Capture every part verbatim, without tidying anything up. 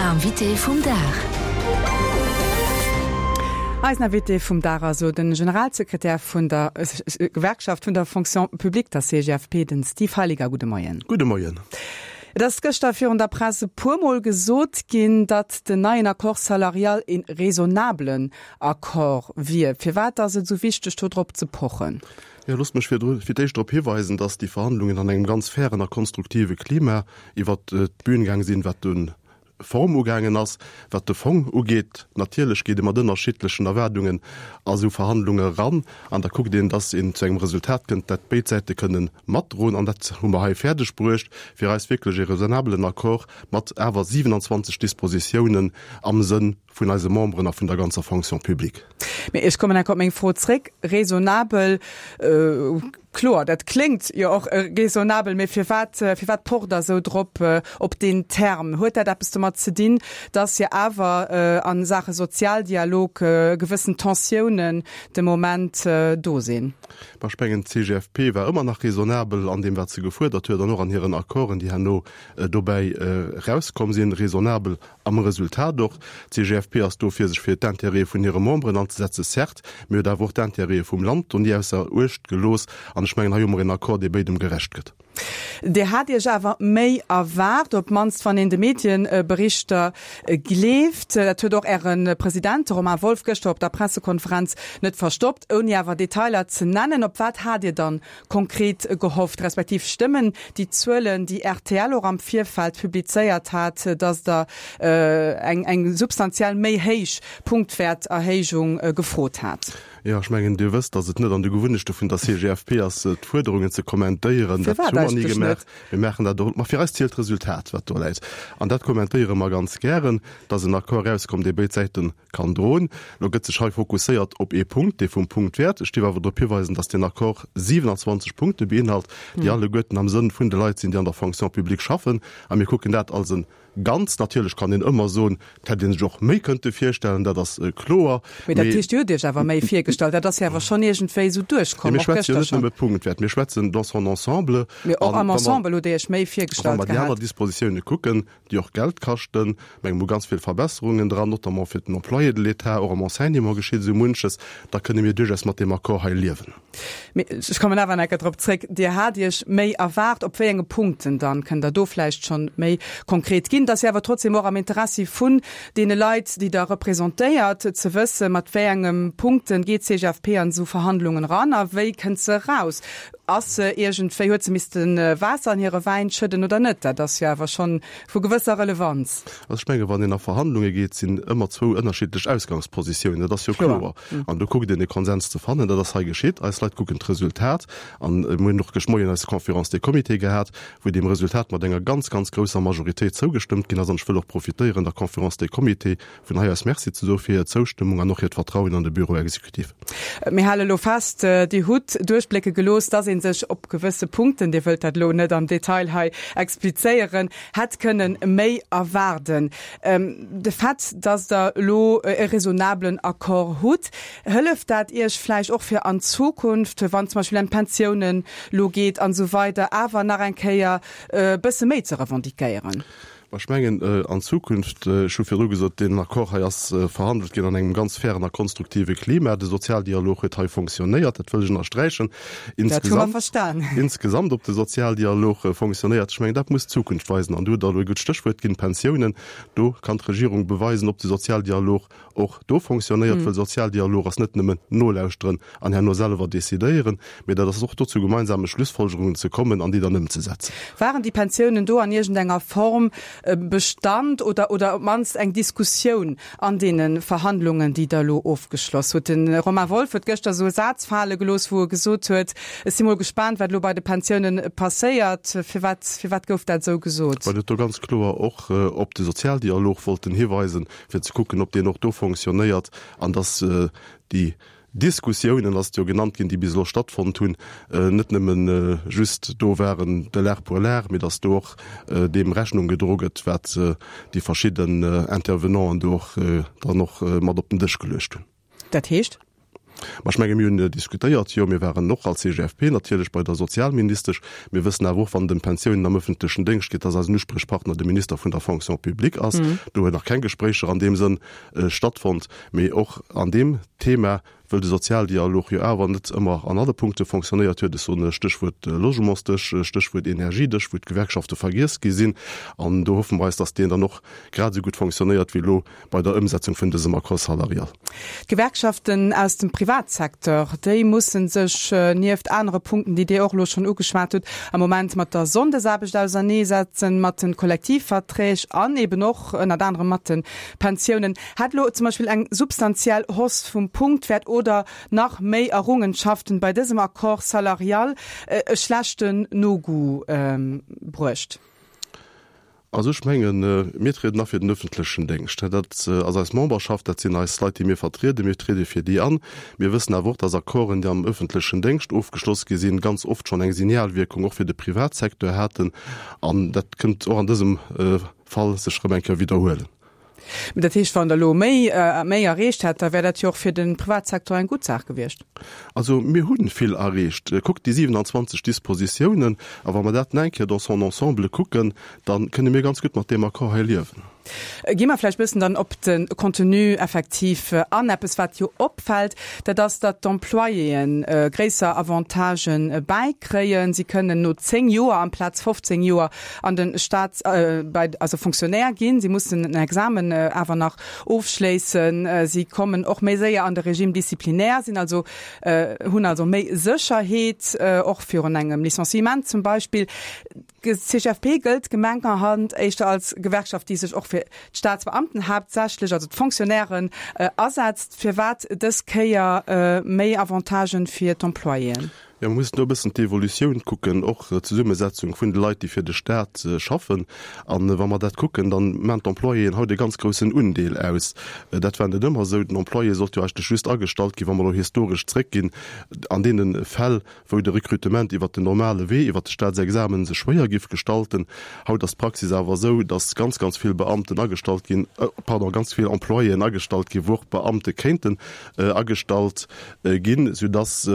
Invité vum Dag. Eisen Invité vum Dag ass den Generalsekretär vun der Gewerkschaft vun der Fonction publique, der C G F P, den Steve Heiliger. Gudde Moien. Gudde Moien. Et ass gëschter virun der Press e puermol gesot ginn, datt den neien Accord salarial e raisonnablen Accord wier. Firwat ass et sou wichteg, do drop ze pochen? Ja, loosst mech fir d'éischt drop hiweisen, datt déi Verhandlungen an engem ganz fairen a konstruktive Klima iwwer d'Bün gaang sinn, wat d'Form ugaangen ass. Wat de Fong ugeet, natierlech geet ee mat ënnerschiddlechen Erwaardungen a sou Verhandlunge ran an da kuckt een, datt een zu engem Resultat kënnt, dat béid Säite kënne matdroen, an dat hu mer hei fäerdeg bruecht, fir eis wierklech e raisonnabelen Accord mat awer siewenanzwanzeg Dispositiounen am Sënn vun eise Memberen a vun der ganzer Fonction publique. Mee ech kommen enk op meng Fro zréck. Raisonnabel, äh, kloer, dat kléngt jo och äh, raisonnabel, mee firwat äh, firwat pocht Der sou drop äh, op den Term? Huet dat eppes domat ze dinn, dass jo awer äh, an Saache Sozialdialog äh, gewëssen Tensiounen de Moment äh, do sinn? Ech mengen, d'C G F P war ëmmer nach raisonnabel an deem, wat se gefuerdert huet, an och an hiren Accorden, déi herno äh, dobäi äh, rauskomm sinn, raisonnabel am Resultat och. D'C G F P ass do fir sech fir d'Intérêtë vun hire Memberen anzesetze, certes, mee huet awer och d'Intérêtë vum Land do ni ausser Uecht gelooss, an ech mengen, hei hu mer en Accord, dee béidem gerecht gëtt. Dir hat Iech awer méi erwaart, op d'mannst wann een de Medienberichter gleeft. Dat huet och Äre President Romain Wolff gëschter op der Pressekonferenz net verstoppt, ouni awer Detailer ze nennen. Op wat hat Dir dann konkret gehofft, respektiv stëmmen déi Zuelen, déi R T L och am Virfeld publizéiert hat, datt Der äh, eng, eng substantiell méi héich Punktwäerterhéijung äh, gefrot hat? Ja, ech mengen, Dir wësst, datt et net an de Gewunnechte vun der C G F P ass, d'Fuerderungen ze kommentéieren. Dat hu mer ni gemaach. Mir maachen dat och, ma fir eis zielt d'Resultat, wat do läit. An dat kommentéiere mer ganz gären, datt en Accord rauskomm, dee béid Säite kann droen. Lo gëtt sech hei fokusséiert op ee Punkt, dee vum Punktwäert. Ech dierf awer drop hiweisen, datt den Accord siewenanzwanzeg Punkte beinhalt, déi hm. alleguerten am Sënn vun de Leit sinn, déi an der Fonction publique schaffen. A mir kucken dat als e Ganzt. Natierlech kann een ëmmer soen, et hätt een sech och méi kënnte virstellen, dat ass äh, kloer. Mee dat heescht, Dir hutt Iech awer méi virgestallt, dat ass jo awer schonn iergendwéi sou duerchkomm. Mir schwätzen jo net nëmme Punktwäert, mir schwätzen dans son ensemble. Mee och am Ensemble hutt Dir Iech méi virgestallt gehat. Wa mer déi aner Dispositioune kucken, déi och Geld kaschten, mengen mer ganz vill Verbesserungen dran, notamment fir den Employé de l'État, och am Enseignement geschitt esou munches, da kënne mir duerchaus mat deem Accord hei liewen. Mee ech kommen awer nach eng Kéier drop zréck, Dir hat Iech méi erwaart, op wéi enge Punkten dann? Kënnt Der do vläicht schonn méi konkret ginn? Dat ass jo awer trotzdem och am Interessi vun deene Leit, déi Der representéiert, ze wëssen, mat wéi enge Punkten geet d'C G F P an esou Verhandlungen ran a wéi kënnt se raus? Ass se iergendwéi, huet se missten Waasser an hire Wäin schëdden oder net? Dat ass jo awer schonn vu gewësser Relevanz. Also ech menge wann een a Verhandlunge geet, sinn ëmmer zwou ënnerschiddlech Ausgangspositiounen, dat ass jo kloer. An do kuckt een e Konsens ze fannen, dat ass hei geschitt. Eis Leit kucken d'Resultat an mir hunn och gëscht Moien eis Conférence des Comités gehat, wou deem Resultat mat enger ganz, ganz grousser Majoritéit zougestëmmt ginn ass. An ech wëll och profitéieren, der Conférence des Comités vun hei aus Merci ze soe fir hir Zoustëmmung an och hiert Vertrauen an de Bureau exécutif. Mir hale lo fest, Dir hutt duerchblécke gelooss, dass ee sech op gewësse Punkten, Dir wëllt dat lo net am Detail hei explizéieren, hätt kënnen méi erwaarden. De Fait, dass Der elo e raisonnablen Accord hutt, hëlleft dat Iech vläicht och fir an Zukunft, wann zum Beispill ëm d'Pensiounen lo geet an esou weider, awer nach eng Kéier e bësse méi ze revendiquéieren? Ech mengen, an Zukunft, ech hu virdru gesot, deen Accord hei ass verhandelt ginn an engem ganz fairen a konstruktive Klima. De Sozialdialog huet hei fonctionnéiert, dat wëll ech ënnersträichen. Dat hu mer verstan. Insgesamt, ob de Sozialdialog fonctionnéiert, ech mengen, dat muss d'Zukunft weisen. An do hutt Der elo e gutt Stéchwuert ginn, Pensiounen. Do kann d'Regierung beweisen, ob de Sozialdialog och do fonctionnéiert, well Sozialdialog ass net nëmmen nolauschteren an herno selwer decidéieren, mee dat ass och do zu gemeinsame Schlussfolgerungen ze kommen an déi dann ëmzesetzen. Waren déi Pensiounen do an iergendenger Form Bestand oder oder op d'mannst eng Diskussioun an deene Verhandlungen, déi Der elo ofgeschloss hutt? De Romain Wolff huet gëschter esou e Saz fale gelooss, wou e gesot huet, Ech si mol gespaant, wat elo bei de Pensiounen passéiert. Firwat, firwat gouf dat esou gesot? Well et do ganz kloer och op de Sozialdialog wollten hiweisen, fir ze kucken, ob deen och do fonctionnéiert an dass déi Diskussiounen, ass et jo genannt ginn, déi bis elo stattfonnt hunn, net nëmme just do waren de l'art pour l'art, mee dass do och deem Rechnung gedro gëtt, wat déi verschidden Intervenanten do och dann och mat op den Dësch geluecht hunn. Dat heescht? Ma ech menge mir hunn diskutéiert, jo, mir waren och als C G F P natierlech bei der Sozialministesch. Mir wëssen awer och, wann et ëm Pensiounen am öffentlechen Déngscht geet, dass eisen Usprichpartner de Minister vun der Fonction publique ass. Do huet nach keng Gespréicher an deem Sënn stattfonnt. Mee och an deem Thema, wëll de Sozialdialog jo awer net ëmmer an alle Punkte fonctionnéiert huet, ech soen Stéchwuert Logementsdësch, Stéchwuert Energiedësch, wou d'Gewerkschafte vergiess gi sinn, an do hoffe mer eis, dass deen dann och grad esou gutt fonctionnéiert wéi elo bei der Ëmsetzung vun dësem Accord salarial. D'Gewerkschaften aus dem Privatsecteur, déi musse sech nieft anere Punkten, déi Dir och elo schonn ugeschwat hutt, am Moment mat der Sonndesaarbecht auserneesetzen, mat de Kollektivverträg an eben och ënnert anerem mat de Pensiounen. Hätt elo zum Beispill eng substantiell Hausse vum Punktwäert oder nach méi Errungenschaften bei dësem Accord salarial e schlechten Nogoût bruecht? Also ech mengen, mir trieden a fir den öffentlechen Déngscht. Dat ass eis Memberschaft, dat sinn eis Leit, déi mir vertrieden. Mir triede fir déi an. Mir wëssen awer och, dass Accorden, déi am öffentlechen Déngscht ofgeschloss gi sinn, ganz oft schonn eng Signalwierkung och fir de Privatsecteur haten. An dat kënnt och an dësem Fall sech erëm eng Kéier widderhuelen. Dat heescht, wann Der elo méi, méi erreecht hätt, da wär dat jo och fir de Privatsecteur eng gutt Saach gewiescht. Also mir hunn vill erreecht. Kuckt déi siewenanzwanzeg Dispositiounen, a wa mer dat nach eng Kéier dans son ensemble kucken, da kënne mir ganz gutt mat deem Accord hei liewen. Gi mer vläicht bëssen dann op de Contenu effektiv an. Eppes, wat jo opfält, dat ass, datt d'Employéen gréisser Avantagen bäikréien. Si kënnen no zéng Joer amplaz fofzéng Joer an de Staat, bei, also Fonctionnaire ginn. Si mussen en Examen awer nach ofschléissen. Si kommen och méi séier an de Régime disciplinaire, sinn also, hunn also méi Sécherheet, och virun engem Licenciement zum Beispill. D' C G F P gëllt gemenkerhand éischter als Gewerkschaft, déi sech och fir d'Staatsbeamten haaptsächlech, also d'Fonctionnairen, asetzt. Firwat dës Kéier méi Avantagen fir d'Employéen? Jo, mer mussen do e bëssen d'Evolutioun kucken, och d'Zesummesetzung vun de Leit, déi fir de Staat schaffen. An wa mer dat kucken, dann maan d'Employéen haut e ganz groussen Undeel aus. Dat war net ëmmer esou. Den Employé sollt jo eigentlech just agestallt ginn, wa mer elo historesch zréckginn, an deene Fäll, wou de Recrutement iwwert den normale Wee, iwwert de Staatsexamen sech schwéier giff gestalten. Haut ass d'Praxis awer esou, dass ganz, ganz vill Beamten agestallt ginn, pardon, ganz vill Employéen agestallt ginn, wou och Beamte kéinten agestallt ginn, soudass,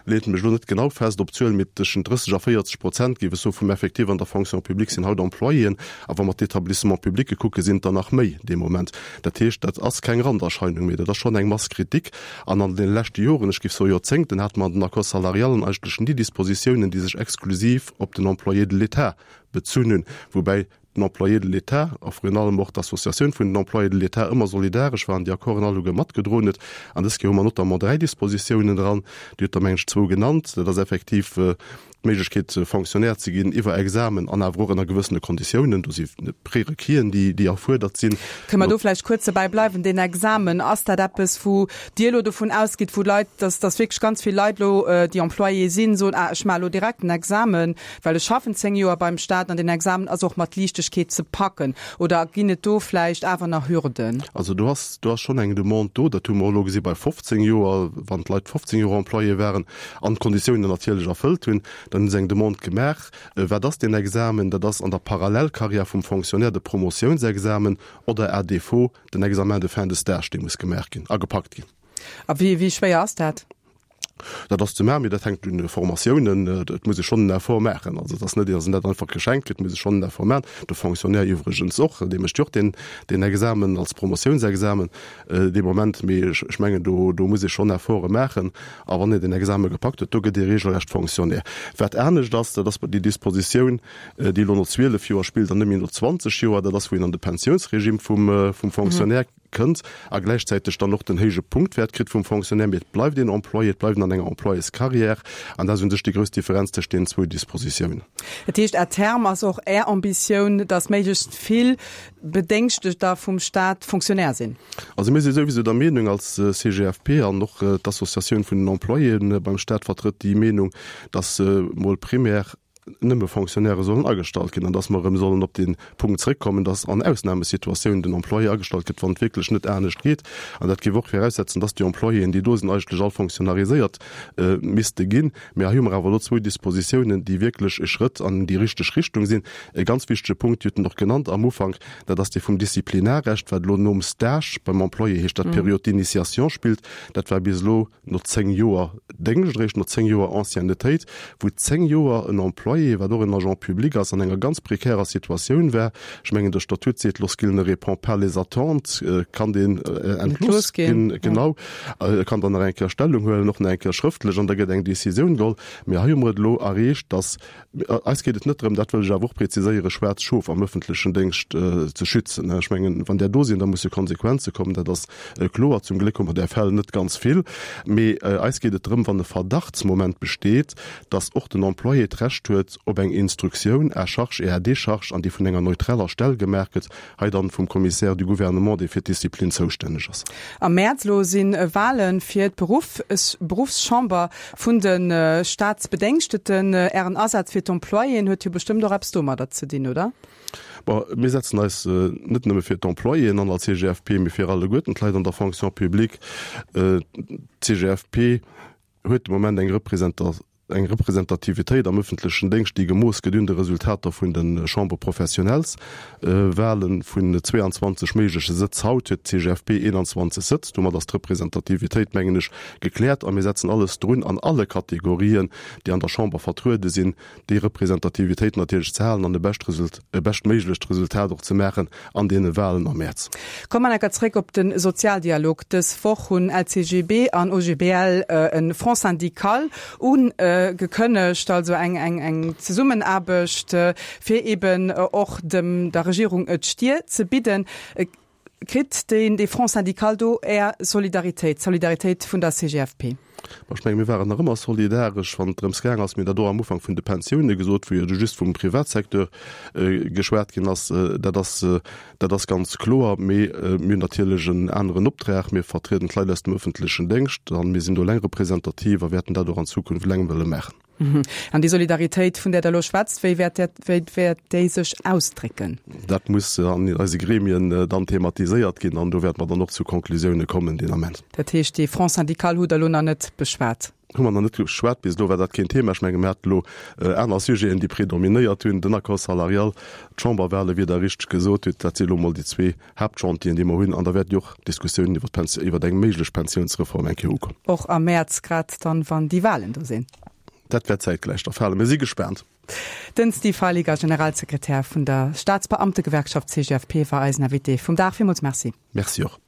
leet mech elo net genau fest op d'Zuel, mee tëschent drësseg a véierzeg Prozent, géif ech soen, vum Effectif an der Fonction publique sinn haut Employéen. A wa mer d'Établissements publics kucken, sinn et der nach méi dee Moment. Dat heescht, dat ass keng Randerscheinung méi, dat ass schonn eng Masse critique. An an deene leschte Joren, ech géif soe Joerzéngten, hate mer an den Accords salarialen eigentlech ni Dispositiounen, déi sech exklusiv op den Employé de l'État bezunn hunn, woubäi den Employé de l'État a virun allem och d'Associatioun vun den Employés de l'État ëmmer solidaresch war an déi Accorden alleguer matgedroen huet. An dës Kéier hu mer notamment dräi Dispositiounen dran, Dir hutt der, mengen ech, zwou genannt. Dat ass effektiv d'Méiglechkeet, Fonctionnaire ze ginn iwwer Examen an awer och ënner gewëssene Konditiounen. Do si Prérequisen, déi, déi erfuerdert sinn. Kënne mer do vläicht kuerz dobäi bleiwen? Deen Examen, ass dat eppes, wou Dir elo dovun ausgitt, wou Leit, dass, dass wierklech ganz vill Leit elo, déi Employé sinn, soen, ah, ech maache elo direkt den Examen, well ech schaffen zéng Joer beim Staat an den Examen ass och mat Liichtegkeet ze packen? Oder ginn et do vläicht awer nach Hürden? Also do ass, do ass schonn eng Demande do. Dat hu mer och elo gesi bei fofzéng Joer, wann d'Leit fofzéng Joer Employé waren an d'Konditiounen natierlech erfëllt hunn, dann hu se eng Demande gemaach. Wat ass deen Examen? Dat ass an der Parallelkarriär vum Fonctionnaire de Promotiounsexamen oder à défaut den Examen de fin de stage, dee muss gemaach ginn a gepackt ginn. A wéi, wéi schwéier ass dat? Dat ass ze maachen, mee dat hänkt un de Formatiounen. Et muss ee schonn en Effort maachen. Also et ass net, datt een dat einfach geschenkt kritt, et muss ee schonn en Effort maachen. De Fonctionnaire iwwregens och, dee mécht jo och deen, deen Examen als Promotiounsexamen dee Moment. Mee ech, ech mengen, do, do muss ee schonn Efforte maachen. A wann een den Exame gepackt huet, do gëtt ee regelrecht Fonctionnaire. Wat anescht ass, dat ass déi Dispositioun, déi elo no zwielef Joer spillt an net méi no zwanzeg Joer, dat ass, wou een an de Pensiounsregime vum, vum Fonctionnaire kënnt a gläichzäiteg dann och den héije Punktwäert kritt vum Fonctionnaire, mee et bleift een Employé, et bleift een an enger Employéscarrière an dat ass u sech déi grouss Differenz tëscht deenen zwou Dispositiounen. Dat heescht, à terme ass och Är Ambitioun, datt méiglechst vill Bedéngschtegter vum Staat Fonctionnaire sinn? Also mir si souwisou der Meenung als C G F P an och d'Associatioun vun den Employéen beim Staat vertrëtt déi Meenung, datt mol primär nëmme Fonctionnairë sollen agestallt ginn an dass mer erëm sollen op dee Punkt zréckkommen, dass an Ausnahmesituatiounen den Employé agestallt gëtt, wann et wierklech net anescht geet. An dat géif och viraussetzen, dass déi Employéen, déi do sinn, eigentlech all fonctionnariséiert misste ginn. Mä hei hu mer awer elo zwou Dispositiounen, déi wierklech e Schrëtt an déi richteg Richtung sinn. E ganz wichtege Punkt, Dir hutt en och genannt am Ufank, dat ass dee vum Disziplinarrecht, wat elo nom Stage beim Employé, heescht dat, Période d'initiation spillt. Dat war bis elo no zéng Joer Déngscht, eréischt no zéng Joer Anciennetéit, wou zéng Joer en Employé, wat och en Agent public ass, an enger ganz prekärer Situatioun war. Ech mengen, de Statut seet, lorsqu'il ne répond pas les attentes, kann deen entlooss ginn. Genau. E kann dann nach eng Kéier Stellung huelen, och nach eng Kéier schrëftlech, an da gëtt eng Décisioun geholl. Mee hei hu mer et elo erreecht, dass, eis geet et net drëm, dat wëll ech awer och präziséieren, schwaarz Schof am öffentlechen Déngscht ze schützen. Ech mengen, wann där do sinn, da musse Konsequenze kommen, dat ass kloer. Zum Gléck hu mer där Fäll net ganz vill. Mee eis geet et drëm, wann e Verdachtsmoment besteet, dass och den Employé d'Recht huet op eng Instruktioun à charge et à décharge an déi vun enger neutraler Stell gemaach gëtt, hei dann vum Commissaire du Gouvernement, dee fir d'Disziplin zoustänneg ass. Am Mäerz elo si Wale fir d'Beruffschamber vun de Staatsbedéngschteten. Ären Asaz fir d'Employéen huet jo bestëmmt och eppes domadder ze dinn, oder? Bon, mir setzen eis net nëmme fir d'Employéen an als C G F P, mee fir alleguerten d'Leit an der Fonction publique. D'C G F P huet de Moment eng eng Representativitéit am ëffentlechen Déngscht, déi gemooss gëtt un de Resultater vun de Chambres professionnelles. Walen vun zweeanzwanzeg méigleche Sëtz haut huet d'C G F P eenanzwanzeg Sëtz. Domat ass d'Representativitéit, mengen ech, gekläert a mir setzen alles drun an alle Kategorien, déi an der Chamber vertruede sinn, déi Representativitéit natierlech ze halen an e bescht Result, e beschtméiglecht Resultat och ze maachen an deene Walen am Mäerz. Komme mer enker zréck op de Sozialdialog. Dës Woch hunn L C G B an O G B L e Front syndical ugekënnegt, also eng eng eng Zesummenaarbecht, fir eben och dem der Regierung d'Stier ze bidden. Kritt deen dee Front syndical do Är Solidaritéit, d'Solidaritéit vun der C G F P? Ech menge mir waren nach ëmmer solidaresch, wann et drëms gaang ass. Mir hunn dat och am Ufank vun de Pensioune gesot, wou jo du just vum Privatsecteur geschwat ginn ass. Dat ass, dat ass ganz kloer. Mee mir hunn natierlech en aneren Optrag. Mir vertrieden d'Leit aus dem öffentlechen Déngscht an mir sinn do eleng representativ a wäerten dat och an Zukunft eleng wëlle maachen. An déi Solidaritéit, vun där Der elo schwätzt, wéi wäert dat, wéi wäert déi sech ausdrécken? Dat muss an eise Gremien dann thematiséiert ginn an do wäerte mer dann och zu Konklusioune kommen deen Ament. Dat heescht, dee Front syndical hutt Der elo nach net beschwat? Hu mer nach net geschwat, bis elo war dat keen Thema. Ech menge mir hate elo aner Sujeten, déi predominéiert hunn, den Accord salarial, d'Chamberwale, wéi Der richteg gesot hutt, dat si elo mol déi zwee Haaptchantieren, déi mer hunn. An da wäerten jo och Diskussiounen iwwer d'Pensi iwwer eng méiglech Pensiounsreform eng Kéier ukommen. Och am Mäerz, grad dann, wann déi Walen do sinn? Dat wäert zäitgläich da falen. Mir si gespaant. Den Steve Heiliger, Generalsekretär vun der Staatsbeamtegewerkschaft C G F P, war eisen Invité vum Dag. Villmools Merci. Merci och.